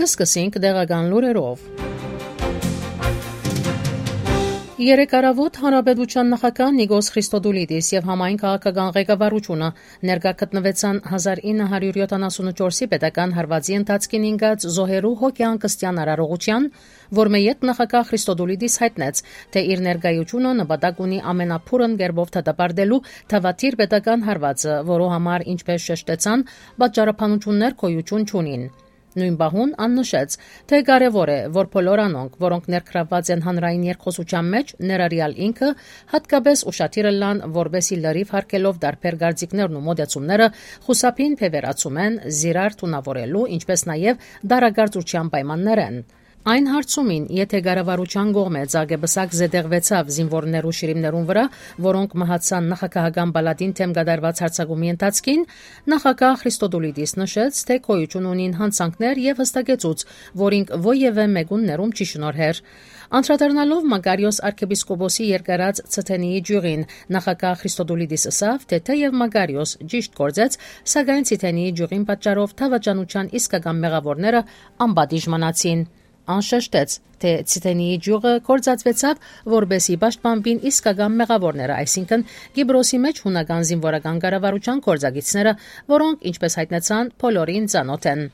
Կսկսենք դեղական լուրերով։ Երեկ առավոտ Հանրապետության նախագահ Նիկոս Խրիստոդուլիդիս եւ համայն քաղաքական ղեկավարությունը ներկա գտնվեցան 1974-ի պետական հարվածի ընթացքին ինգած զոհերու հոգեանկստյան արարողության, որ մեյետ նախագահ Խրիստոդուլիդիս հայտնեց, թե իր ներկայությունը նպատակ ունի ամենափուրն կերպով դատապարտելու թավաթիր պետական հարվածը, որու համար, ինչպես շեշտեցան, պատճառաբանություններ գոյություն չունին։ Նույն բահուն աննշեց, թե կարևոր է, որ բոլոր անոնք, որոնք ներգրավված են հանրային երկխոսության մեջ, ներառյալ ինքը, հատկապես ուշադիր լան, որբեսի լրիվ հարկելով դարբեր գործիքներն ու մոդեցումները խուսափին փեվերացում են, զիրար թունավորելու, ինչպես նաև դարագործության պայմաններեն։ Այն հարցումին, եթե կառավարության կողմից ագեբսակ զետեղվեցավ զինվորներու շիրիմներուն վրա, որոնք մահացան նախագահական պալատին թեմ կատարված հարձակումի ընթացքին, նախագահ Խրիստոդուլիդիս նշեց, թե գոյություն ունին հանցանքներ եւ հստակեցուց, որ ինք ոևէ մեկուններում չի շնորհեր։ Անդրադառնալով Մագարիոս arczepiskopos-ի երկարած Ցթենիի ջուրին, նախագահ Խրիստոդուլիդիս ասավ, թե թեև Մագարիոս ճիշտ գործեց, սակայն Ցթենիի ջուրին պատճառով թավաճանության իսկական մեղավորները անպատիժ մնացին։ Անշեշտեց, թե Ցիտենիի ջուղը կործածվեցավ, որբեսի պաշտպանվին իսկական մեղավորները, այսինքն Կիպրոսի մեջ հունական զինվորական կառավարության գործակիցները, որոնք, ինչպես հայտնեցան, բոլորին ծանոթ են։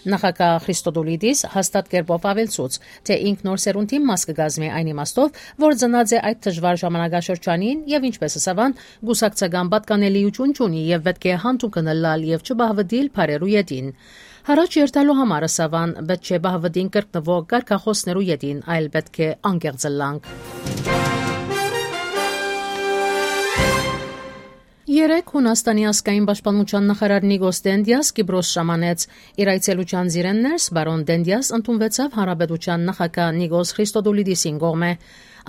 Նախագահ Խրիստոդուլիդիս հաստատ կերպով ավելցուց, թե ինք նոր սերունդի մաս կգազմի այն իմաստով, որ ծնած է այդ դժվար ժամանակաշրջանին եւ ինչպես ասավան, գուսակցական պատկանելիություն չունի եւ պետք է հանդուկն լալ եւ չբահվդիլ բարերու յետին։ Հարաճ երթալու համար ասավան, պետք չէ բահվդին կրկնվող կարգախոսներու յետին, այլ պետք է անկեղծլանք։ Երեկ Հունաստանի ազգային պաշտպանության նախարար Նիկոս Դենդիաս Կիպրոս ժամանեց։ Իր այցելության զիրեններս բարոն Դենդիաս ընդունվեցավ Հանրապետության նախագահ Նիկոս Խրիստոդուլիդիսին կողմէ։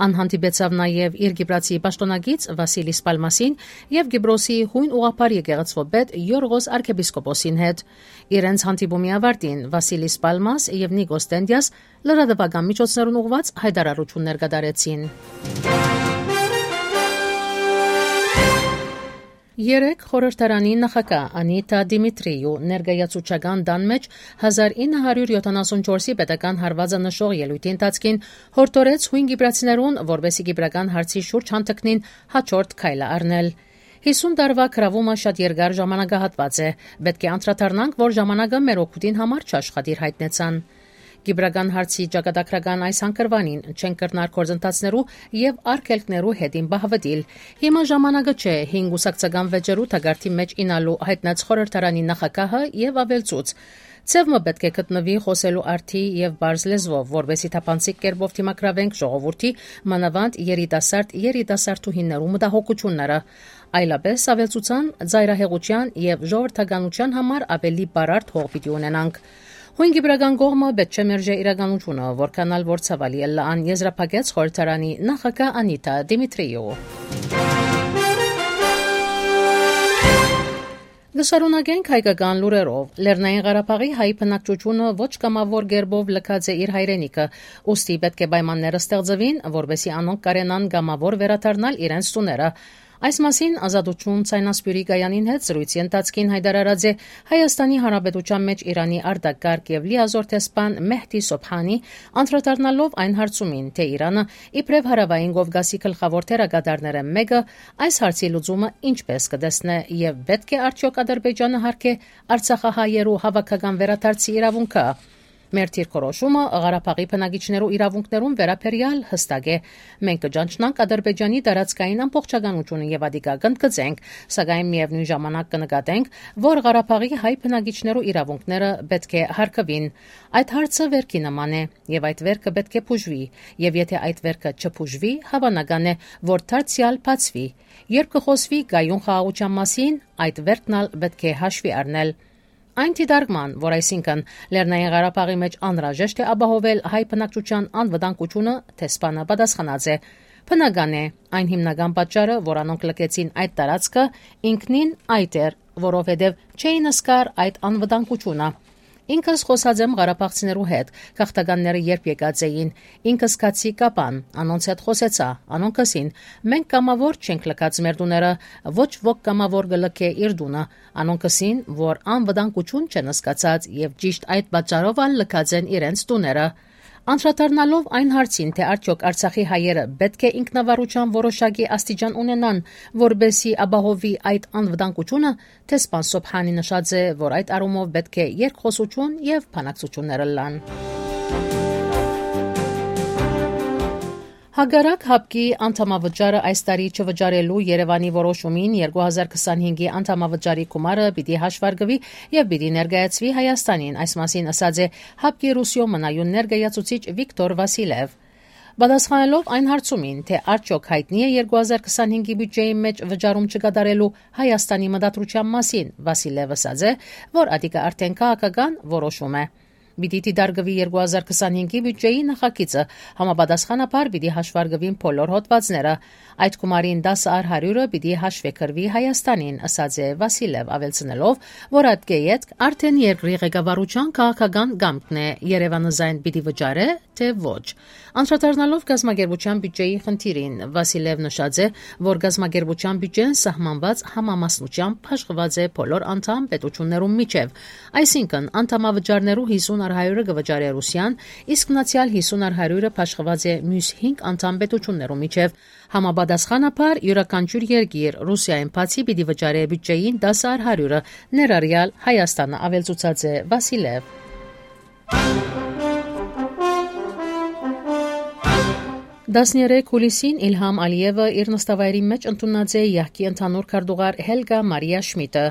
Անհանդիպեցավ նաև իր գիպրացի պաշտոնագից Վասիլիս Պալմասին եւ Կիպրոսի հույն ուղղափառ եկեղեցվո պետ Յորգոս arczepiskopos-ին հետ։ Իրենց հանդիպումի ավարտին Վասիլիս Պալմաս եւ Նիկոս Դենդիաս լրատվական միջոցներուն ուղված հայտարարություններ կատարեցին։ Երեկ խորհրդարանի նախագահ Անիտա Դիմիտրիու ներկայացուցչական դան մեջ 1974-ի պետական հարվածը նշող ելույթի ընթացքին հորդորեց հույն կիպրացիներուն, որբեսի կիպրական հարցի շուրջ հանդգնին հաջորդ քայլը առնել։ 50 տարվա կրավումը շատ երկար ժամանակահատված է, պետք է անդրադառնանք, որ ժամանակը մեր օգուտին համար չաշխատիր հայտնեցան։ Կիպրական հարցի ճակատագրական այս հանգրվանին չեն կրնար գործընթացներու եւ արգելքներու հետին բահվդիլ։ Հիմա ժամանակը չէ 5 ուսակցական վեճերու թագարտի մեջ ինալու հայտնած խորհրդարանի նախագահը եւ ավելցուց։ Ցևմը պետք է գտնվի խոսելու արդի եւ բարձ լեզվով, որովհետեւ թափանցիկ կերպով թիմակրավենք ժողովրդի մանավանդ երիտասարդուհիներու մտահոգությունները։ Այլապես ավելցուցան ծայրահեղության եւ ժողովրդականության համար ավելի բարարդ հող պիտի ունենանք։ Հույն կիպրական կողմը պետք չէ մերժե իրականությունը, որքանալ որ ցավալի է լան եզրափակեց խորհրդարանի նախագահ Անիտա Դիմիտրիու։ Գշարունակենք հայկական լուրերով։ Լեռնային Ղարաբաղի հայ բնակչությունը ոչ կամավոր գերբով լքած է իր հայրենիքը, ուստի պետք է պայմանները ստեղծվին, որովհետեւ անոնք կարենան կամավոր վերադառնալ իրենց տուները։ Այս մասին Ազատություն ցայնասպյուրի գայանին հետ զրույցի ընթացքին հայտարարած է Հայաստանի Հանրապետության մեջ Իրանի արտակարգ եւ լիազոր տեսփան Մեհդի Սոբհանի, անդրադառնալով այն հարցումին, թե Իրանը իբրև հարավային Կովկասի գլխավոր թերագադարները մեկը այս հարցի լուծումը ինչպես կտեսնե եւ պետք է արդյոք Ադրբեջանը հարկե Արցախահայերու հավաքական վերադարձի իրավունքը։ Մեր դիրքորոշումը Ղարաբաղի բնակիչներու իրավունքներուն վերաբերյալ հստակ է։ Մենք կճանչնանք Ադրբեջանի տարածքային ամբողջականությունը եւ ադիկա կընդգծենք, սակայն միևնույն ժամանակ կնկատենք, որ Ղարաբաղի հայ բնակիչներու իրավունքները պետք է հարգվին։ Այդ հարցը վերքի նման է եւ այդ վերքը պետք է բուժվի, եւ եթե այդ վերքը չբուժվի, հավանական է, որ դարձյալ բացվի։ Երբ կխոսվի գայուն խաղաղության մասին, այդ վերքնալ պետք է հաշվի առնել։ Այն դիտարկման, որ այսինքն Լեռնային Ղարաբաղի մեջ անհրաժեշտ է ապահովել հայ բնակչության անվտանգությունը, տեսփանը պատասխանած է։ Բնական է, այն հիմնական պատճառը, որ անոնք լքեցին այդ տարածքը, ինքնին այդ էր, որովհետև չէին ասկար այդ անվտանգությունը։ Ինքս խոսած եմ ղարաբաղցիներու հետ, քաղաքտականները երբ եկած էին, ինքս կացի կապան, անոնց հետ խոսեցա, անոնք կսին, մենք կամավոր չենք լքած մեր դուները, ոչ ոք կամավոր գլքե իր դունը, անոնք կսին, որ անվտանգություն չեն սկացած եւ ճիշտ այդ պատճառով ալ լքած են իրենց դուները։ Անդրադառնալով այն հարցին, թե արդյոք Արցախի հայերը պետք է ինքնավարության որոշակի աստիճան ունենան, որբեսի ապահովի այդ անվտանգությունը, թե սպան Սոբհանի նշած է, որ այդ առումով պետք է երկխոսություն եւ բանակցություններ լան։ Հագարակ հապկի անդամավճարը այս տարի չվճարելու Երևանի որոշումին 2025-ի անդամավճարի գումարը պիտի հաշվարկվի եւ պիտի ներկայացվի Հայաստանին, այս մասին ասած է հապկի Ռուսիո մնայուն ներկայացուցիչ Վիկտոր Վասիլև։ Պատասխանելով այն հարցումին, թե արդյոք հայտնի է 2025-ի բյուջեի մեջ վճարում չկատարելու Հայաստանի մտադրության մասին, Վասիլևը ասած է, որ ադիկը արդեն քաղաքական որոշում է։ Պիտի դիտարկվի 2025-ի բյուջեի նախագիծը, համապատասխանաբար պիտի հաշվարկվին բոլոր հոդվածները, այդ գումարին 10%-ը պիտի հաշվեկրվի Հայաստանին, ասած է Վասիլև, ավելցնելով, որ ատկեյետ արդեն երկրի ղեկավարության քաղաքական գամքն է, Երևանը զայն պիտի վճարե, թե ոչ։ Անդրադառնալով գազագերբության բյուջեի խնդիրին, Վասիլև նշած է, որ գազագերբության բյուջեն սահմանված համամասնությամբ հաշվված է բոլոր անդամ պետություններում միջև, այսինքն անդամավճարներու 50%-ը կվճարի Ռուսիան, իսկ մնացյալ 50%-ը փաշխված է մյուս 5 անդամ պետություններու միջև։ Համապատասխանաբար յուրաքանչյուր երկիր Ռուսիային բացի պիտի վճարի բյուջեին 10%-ը, ներառյալ Հայաստանը, ավելցուցած է Վասիլև։ 13 հուլիսին Իլհամ Ալիևը իր նստավայրի մեջ ընդունած է յահկի ընդհանուր քարտուղար Հելգա Մարիա Շմիդը։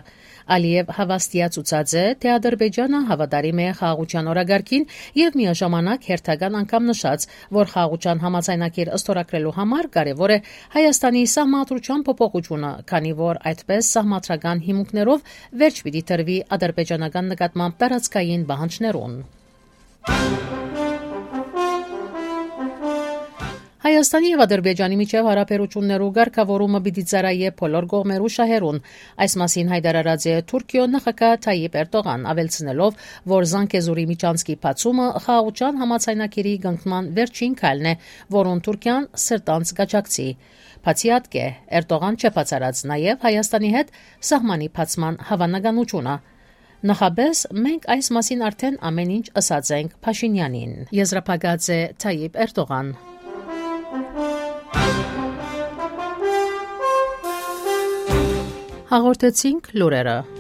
Ալիև հավաստիացուցած է, թե Ադրբեջանը հավատարիմ է խաղաղության օրագարկին եւ միաժամանակ հերթական անգամ նշած, որ խաղաղության համաձայնագիր ըստորագրելու համար կարեւոր է Հայաստանի սահմանադրության փոփոխությունը, քանի որ այդպես սահմանադրական հիմունքներով վերջ պիտի տրվի ադրբեջանական նկատմամբ տարածքային պահանջներուն։ Հայաստանի եւ Ադրբեջանի միջև հարաբերություններու ղեկավարումը պիտի ծառայե բոլոր կողմերու շահերուն։ Այս մասին հայտարարած է Թուրքիո նախագահ Թայիպ Էրդողան, ավելցնելով, որ Զանգեզուրի միջանցքի բացումը խաղաղության համաձայնագիրի կնքման վերջին քայլն է, որոնց Թուրքիան սրտանց կաջակցի։ Բացի ատկե, Էրդողան չբացառած նաեւ Հայաստանի հետ սահմանի բացման հավանականությունը։ Նախաբես մենք այս մասին արդեն ամեն ինչ ասած ենք Փաշինյանին։ Եզրափակած է Թայիպ Էրդողան։ Հաղորդեցինք լուրերը։